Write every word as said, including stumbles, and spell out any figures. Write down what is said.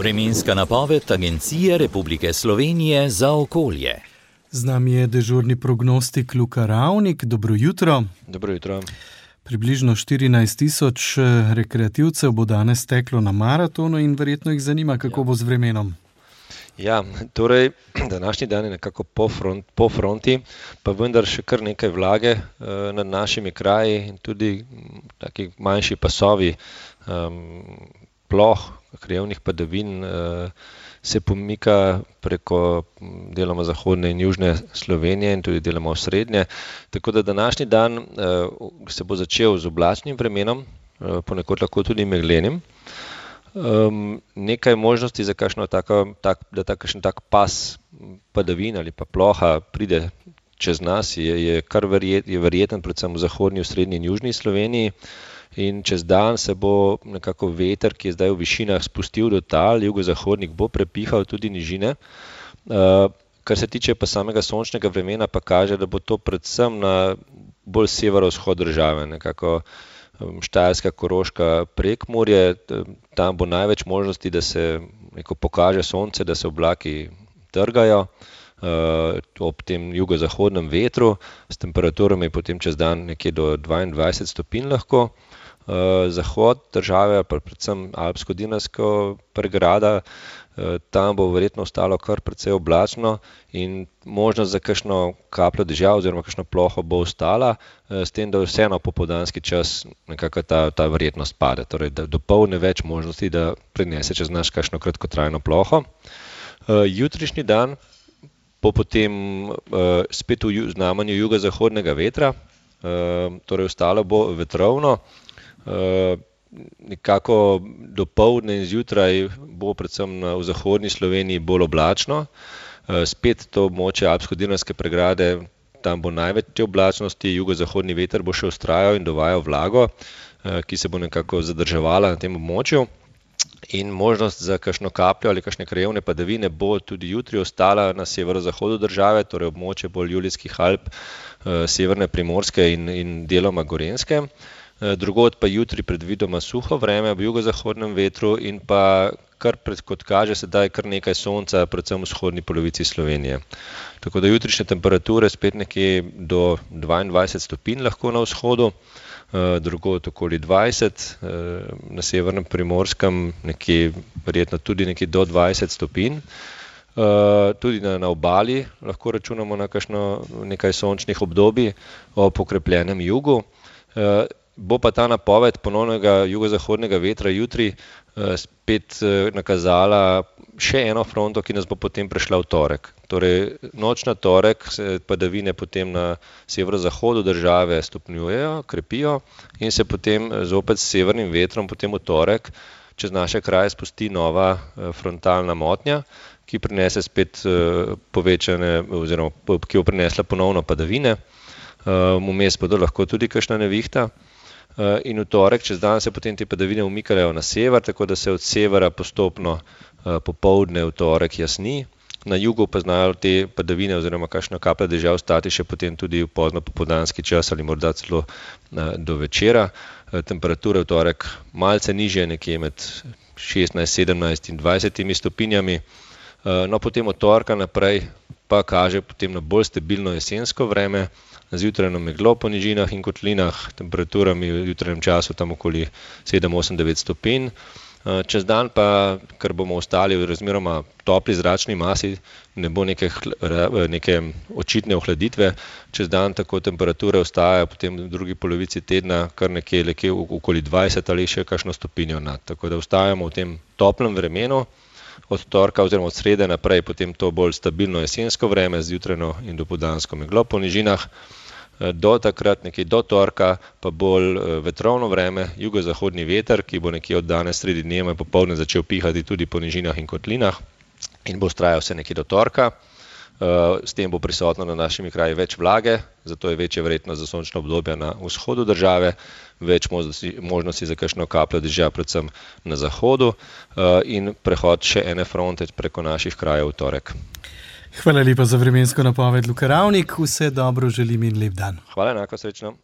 Vremenska napoved Agencije Republike Slovenije za okolje. Z nami je dežurni prognostik Luka Ravnik. Dobro jutro. Dobro jutro. Približno štirinajst tisoč rekreativcev bo danes teklo na maratonu in verjetno jih zanima, kako bo z vremenom. Ja, torej, današnji dan je nekako po, front, po fronti, pa vendar še kar nekaj vlage eh, nad našimi kraji in tudi taki manjši pasovi um, ploh, krajevnih padavin eh, se pomika preko deloma zahodne in južne Slovenije in tudi deloma osrednje. Tako da današnji dan eh, se bo začel z oblačnim vremenom, eh, ponekod lahko tudi meglenim. Um, nekaj možnosti za kakšno tako, tak, da takšen tak pas padavin ali pa ploha pride čez nas, je, je kar verjet, je verjeten predvsem v zahodni, v srednji in južni Sloveniji. In čez dan se bo nekako veter, ki je zdaj v višinah, spustil do tal, jugozahodnik bo prepihal tudi nižine. Uh, kar se tiče pa samega sončnega vremena, pa kaže, da bo to predvsem na bolj severovzhod države, nekako Štajerska, Koroška, Prekmurje. Tam bo največ možnosti, da se neko pokaže sonce, da se oblaki trgajo uh, ob tem jugozahodnem vetru, s temperaturami potem čez dan nekje do dvaindvajset stopinj lahko. Uh, zahod države, pa predvsem Alpsko-Dinarska pregrada, uh, tam bo verjetno ostalo kar precej oblačno in možnost za kakšno kapljo dežja oziroma kakšno ploho bo ostala, uh, s tem, da vseeno popoldanski čas nekako ta, ta verjetnost pade, torej da dopoldne več možnosti, da prinese čez nas kakšno kratkotrajno ploho. Uh, jutrišnji dan bo potem uh, spet v znamenju jugozahodnega vetra, uh, torej ostalo bo vetrovno. Uh, nekako dopoldne in zjutraj bo predvsem na, v zahodni Sloveniji bolj oblačno. Uh, spet to območje Alpsko-Dinarske pregrade, tam bo največ te oblačnosti, jugozahodni veter bo še vztrajal in dovajal vlago, uh, ki se bo nekako zadrževala na tem območju. In možnost za kakšno kapljo ali kakšne krajevne padavine bo tudi jutri ostala na severozahodu države, torej območje bolj Julijskih Alp, uh, severne Primorske in, in deloma Gorenjske. Drugod pa jutri predvidoma suho vreme ob jugozahodnem vetru in pa, kar pred, kot kaže sedaj, kar nekaj sonca, predvsem v vzhodni polovici Slovenije. Tako da jutrišnje temperature spet nekje do dvaindvajset stopinj lahko na vzhodu, drugod okoli dvajset, na severnem Primorskem nekje, verjetno tudi nekje do dvajset stopinj. Tudi na, na obali lahko računamo na kakšno nekaj sončnih obdobij ob okrepljenem jugu. Bo pa ta napoved ponovnega jugozahodnega vetra jutri eh, spet eh, nakazala še eno fronto, ki nas bo potem prešla v torek. Torej, noč na torek se padavine potem na severozahodu države stopnjujejo, krepijo in se potem zopet s severnim vetrom potem v torek čez naše kraje spusti nova eh, frontalna motnja, ki prinese spet eh, povečane, oziroma ki bo prinesla ponovno padavine. Eh, vmes bodo lahko tudi kakšna nevihta. In v torek čez dan se potem te padavine umikajo na sever, tako da se od severa postopno popoldne v torek jasni. Na jugu pa znajo te padavine oziroma kakšna kaplja dežja ostati še potem tudi v pozno popoldanski čas ali morda celo do večera. Temperature v torek malce nižje, nekje med šestnajst, sedemnajst in dvajsetimi stopinjami. No, potem od torka naprej pa kaže potem na bolj stabilno jesensko vreme, zjutrajno meglo po nižinah in kotlinah, temperaturami v jutranjem času tam okoli sedem, osem, devet stopinj. Čez dan pa, ker bomo ostali v razmeroma topli zračni masi, ne bo neke, neke očitne ohladitve. Čez dan tako temperature ostajajo potem v drugi polovici tedna kar nekje, nekje okoli dvajset ali še kakšno stopinjo nad. Tako da ostajamo v tem toplem vremenu. Od torka oziroma od srede naprej potem to bolj stabilno jesensko vreme z jutrajno in dopoldansko meglo po nižinah. Do takrat, nekje do torka, pa bolj vetrovno vreme, jugozahodni veter, ki bo nekje od danes sredi dneva popoldne začel pihati tudi po nižinah in kotlinah in bo vztrajal vse nekje do torka. S tem bo prisotno na našimi kraji več vlage, zato je večja verjetnost za sončno obdobje na vzhodu države, več možnosti, možnosti za kakšno kapljo dežja, predvsem na zahodu, in prehod še ene fronte preko naših krajev v torek. Hvala lepa za vremensko napoved, Luka Ravnik. Vse dobro želim in lep dan. Hvala enako, srečno.